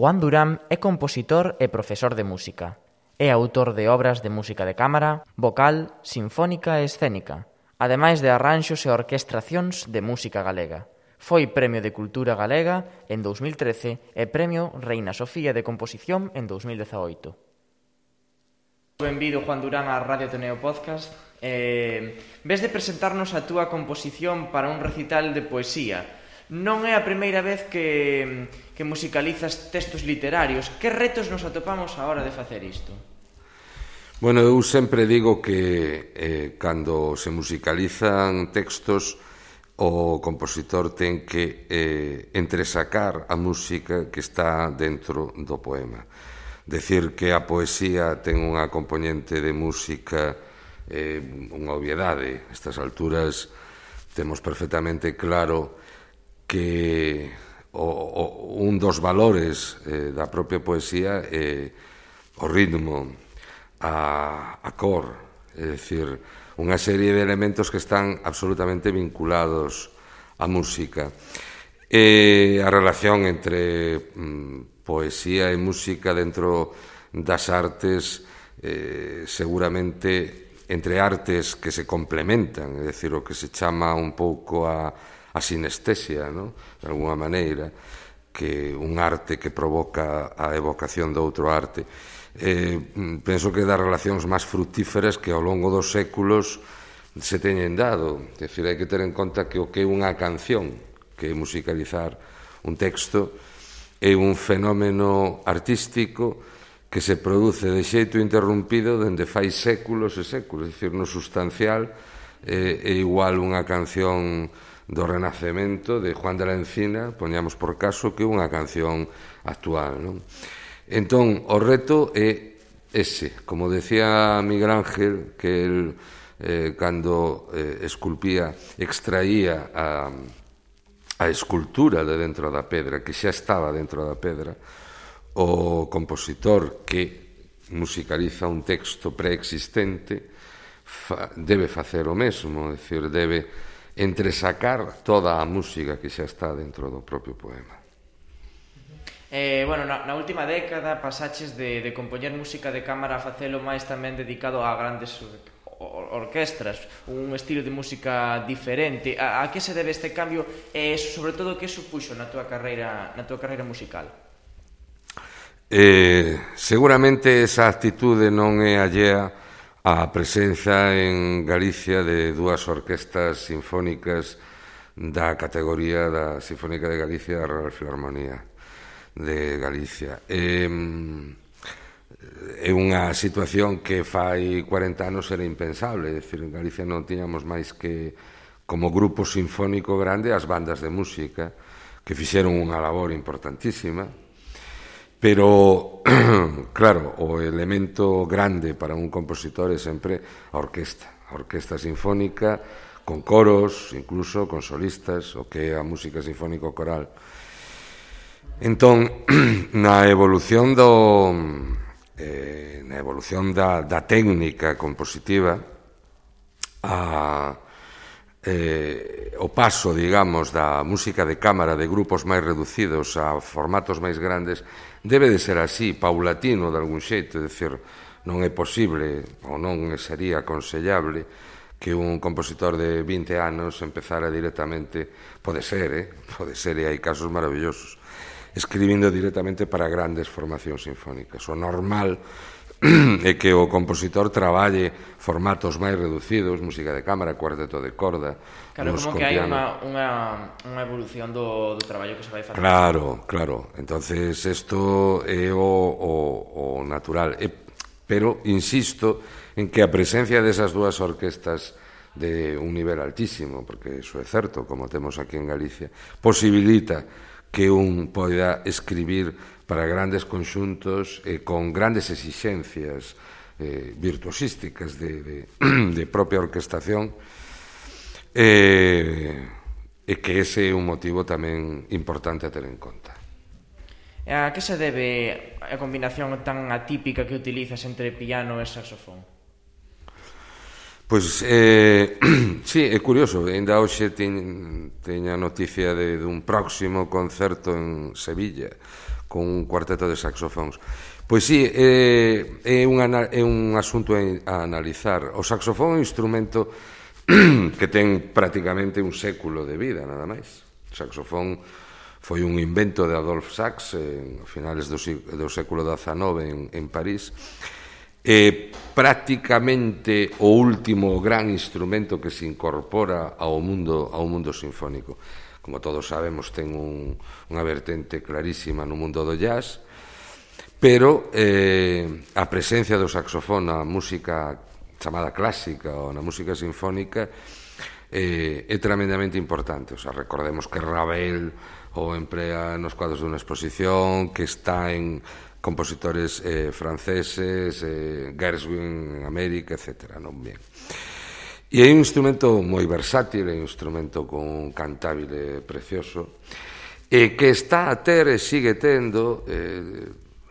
Juan Durán é compositor e profesor de música. É autor de obras de música de cámara, vocal, sinfónica e escénica, ademais de arranxos e orquestracións de música galega. Foi Premio de Cultura Galega en 2013 e Premio Reina Sofía de Composición en 2018. Benvido, Juan Durán, a Radio Ateneo Podcast. Ves de presentarnos a túa composición para un recital de poesía. Non é a primeira vez que musicalizas textos literarios. Que retos nos atopamos a hora de facer isto? Bueno, eu sempre digo que cando se musicalizan textos, o compositor ten que entresacar a música que está dentro do poema. Decir que a poesía ten unha componente de música unha obviedade. A estas alturas temos perfectamente claro que un dos valores da propia poesía é o ritmo, a cor, é dicir, unha serie de elementos que están absolutamente vinculados á música. E a relación entre poesía e música dentro das artes, seguramente entre artes que se complementan, é dicir, o que se chama un pouco a sinestesia, ¿no? De alguma maneira, que un arte que provoca a evocación de outro arte. Penso que das relacións máis fructíferas que ao longo dos séculos se teñen dado. É dicir, hai que ter en conta que o que é unha canción, que é musicalizar un texto, é un fenómeno artístico que se produce de xeito interrompido dende fai séculos e séculos. É dicir, no sustancial é igual unha canción do Renacemento de Juan de la Encina, poñamos por caso, que unha canción actual, non? Entón, o reto é ese. Como decía Miguel Ángel, que el, cando esculpía, extraía a escultura de dentro da pedra, que xa estaba dentro da pedra, o compositor que musicaliza un texto preexistente debe facer o mesmo, é dicir, debe entresacar toda a música que xa está dentro do propio poema. Na última década pasaches de compoñer música de cámara a facelo máis tamén dedicado a grandes orquestras, un estilo de música diferente. A que se debe este cambio e, sobre todo, que supuxo na túa carreira musical? Seguramente esa actitude non é allea a presenza en Galicia de dúas orquestas sinfónicas da categoría da Sinfónica de Galicia e da Real Filarmonía de Galicia. É unha situación que fai 40 anos era impensable, é dicir, en Galicia non tiñamos máis que como grupo sinfónico grande as bandas de música que fixeron unha labor importantísima. Pero, claro, o elemento grande para un compositor é sempre a orquesta sinfónica, con coros, incluso con solistas, o que é a música sinfónico-coral. Entón, na evolución da técnica compositiva, o paso, digamos, da música de cámara de grupos máis reducidos a formatos máis grandes debe de ser así, paulatino de algún xeito, é dicir, non é posible ou non sería aconsellable que un compositor de 20 anos empezara directamente, pode ser, e hai casos maravillosos, escribindo directamente para grandes formacións sinfónicas. O normal é que o compositor traballe formatos máis reducidos, música de cámara, cuarteto de corda. Claro, como que hai unha evolución do traballo que se vai facer. Claro. Entonces, isto é o natural. Pero insisto en que a presencia desas dúas orquestas de un nivel altísimo, porque iso é certo, como temos aquí en Galicia, posibilita que un poida escribir para grandes conxuntos con grandes exixencias virtuosísticas de propia orquestación, e que ese é un motivo tamén importante a ter en conta. A que se debe a combinación tan atípica que utilizas entre piano e saxofón? Pois, sí, é curioso. Ainda hoxe teño a noticia dun próximo concerto en Sevilla con un cuarteto de saxofóns. Pois sí, é un asunto a analizar. O saxofón é un instrumento que ten prácticamente un século de vida, nada máis. O saxofón foi un invento de Adolphe Sax a finales do século XIX en París. É prácticamente o último gran instrumento que se incorpora ao mundo sinfónico. Como todos sabemos, ten unha vertente clarísima no mundo do jazz, pero a presencia do saxofón na música chamada clásica ou na música sinfónica é tremendamente importante. O sea, recordemos que Ravel o emplea nos cuadros dunha exposición, que está en compositores franceses, Gershwin en América, etc. Non bien. E é un instrumento moi versátil, é un instrumento con un cantabile precioso, e que está a ter e sigue tendo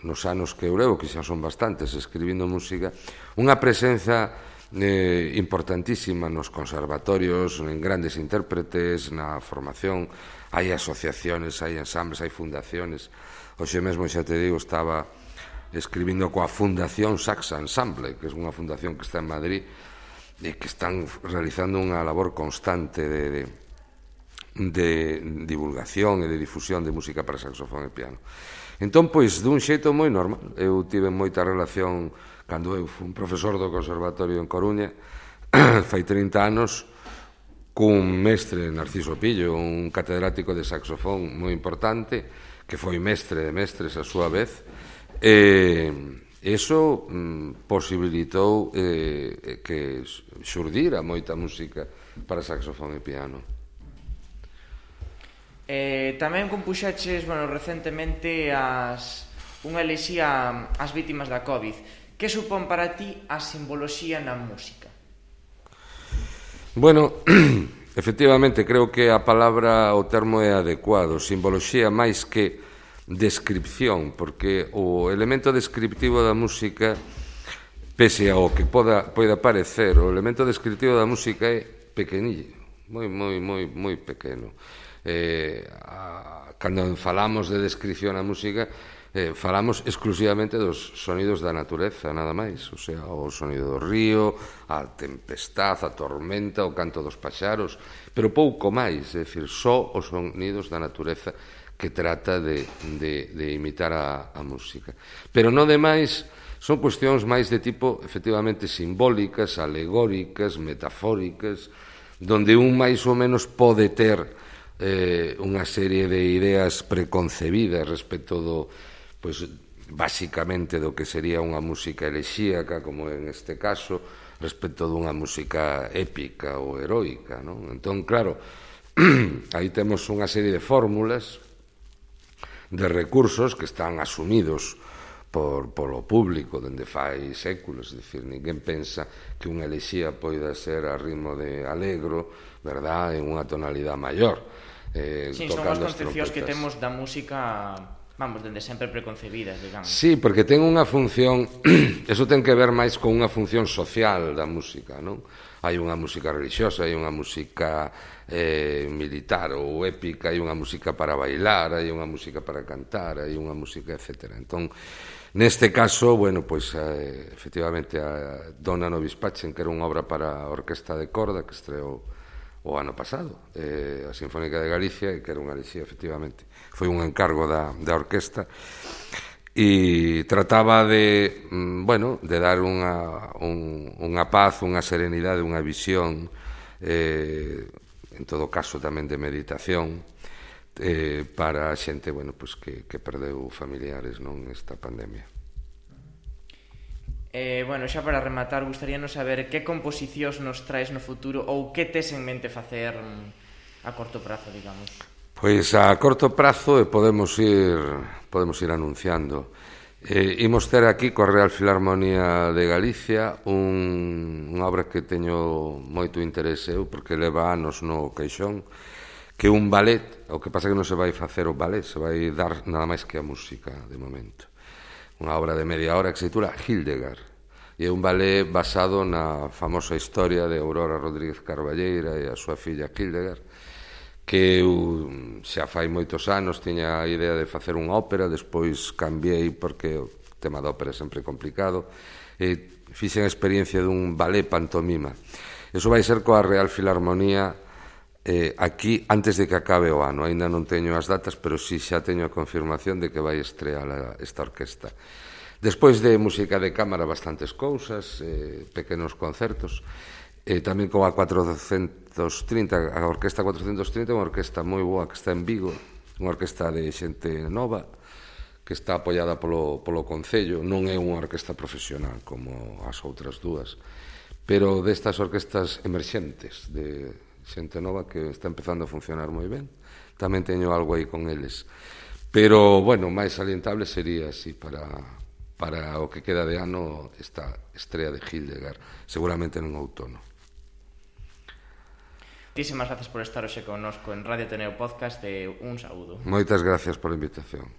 nos anos que eu levo, que xa son bastantes, escribindo música, unha presenza importantísima nos conservatorios, en grandes intérpretes, na formación. Hai asociaciones, hai ensambles, hai fundaciones. Hoxe mesmo, xa te digo, estaba escribindo coa Fundación Sax Ensemble, que é unha fundación que está en Madrid e que están realizando unha labor constante de divulgación e de difusión de música para saxofón e piano. Entón, pois, dun xeito moi normal, eu tive moita relación cando eu fui un profesor do Conservatorio en Coruña, fai 30 anos, cun mestre, Narciso Pillo, un catedrático de saxofón moi importante, que foi mestre de mestres a súa vez, e iso posibilitou que xurdira moita música para saxofón e piano. Tamén compuxeches, recentemente unha elexía ás vítimas da COVID. Que supón para ti a simboloxía na música? Bueno, efectivamente, creo que a palabra, o termo é adecuado. Simboloxía máis que descripción, porque o elemento descriptivo da música, pese ao que poida parecer, o elemento descriptivo da música é pequenillo, moi pequeno. Cando falamos de descripción na música, falamos exclusivamente dos sonidos da natureza, nada máis, o sea, o sonido do río, a tempestad, a tormenta, o canto dos paxaros, pero pouco máis, é dicir, só os sonidos da natureza que trata de imitar a música. Pero non demais, son cuestións máis de tipo, efectivamente, simbólicas, alegóricas, metafóricas, donde un máis ou menos pode ter unha serie de ideas preconcebidas respecto do, pois, basicamente do que sería unha música elexíaca, como en este caso, respecto dunha música épica ou heroica, non? Entón, claro, aí temos unha serie de fórmulas, de recursos que están asumidos polo público dende fai séculos, é dicir, ninguén pensa que unha elexía poida ser a ritmo de alegro, verdad, en unha tonalidade maior. Sí, son as concepcións que temos da música, dende sempre preconcebidas, digamos. Sí, porque ten unha función, eso ten que ver máis con unha función social da música, non? Hai unha música religiosa, hai unha música militar ou épica, hai unha música para bailar, hai unha música para cantar, hai unha música, etc. Entón, neste caso, bueno, pois, efectivamente, a Donna Nobis Pacem, que era unha obra para orquesta de corda, que estreou o ano pasado, a Sinfónica de Galicia, que era unha elexía, efectivamente. Foi un encargo da orquesta, e trataba de, de dar unha paz, unha serenidade, unha visión, en todo caso tamén de meditación, para a xente, que perdeu familiares nesta pandemia. Xa para rematar, gustaríanos saber que composicións nos traes no futuro ou que tes en mente facer a corto prazo, digamos. Pois a corto prazo podemos ir anunciando. Imos ter aquí coa Real Filarmonía de Galicia unha obra que teño moito interese eu, porque leva anos no caixón, que é un ballet. O que pasa que non se vai facer o ballet, se vai dar nada máis que a música de momento. Unha obra de media hora que se titula Hildegard, e é un ballet basado na famosa historia de Aurora Rodríguez Carballeira e a súa filla Hildegard, que eu xa fai moitos anos tiña a idea de facer unha ópera, despois cambiei porque o tema da ópera é sempre complicado, e fixen a experiencia dun ballet pantomima. Iso vai ser coa Real Filarmonía aquí antes de que acabe o ano. Aínda non teño as datas, pero sí xa teño a confirmación de que vai estrear esta orquesta. Despois de música de cámara, bastantes cousas, pequenos concertos, tamén con a 430, a Orquesta 430, unha orquesta moi boa que está en Vigo, unha orquesta de xente nova, que está apoiada polo Concello. Non é unha orquesta profesional como as outras dúas, pero destas orquestas emerxentes de xente nova que está empezando a funcionar moi ben. Tamén teño algo aí con eles. Pero, bueno, máis salientable sería así para o que queda de ano esta estrea de Hildegard, seguramente non outono. Moitísimas gracias por estar hoxe connosco en Radio Ateneo Podcast e un saúdo. Moitas gracias pola invitación.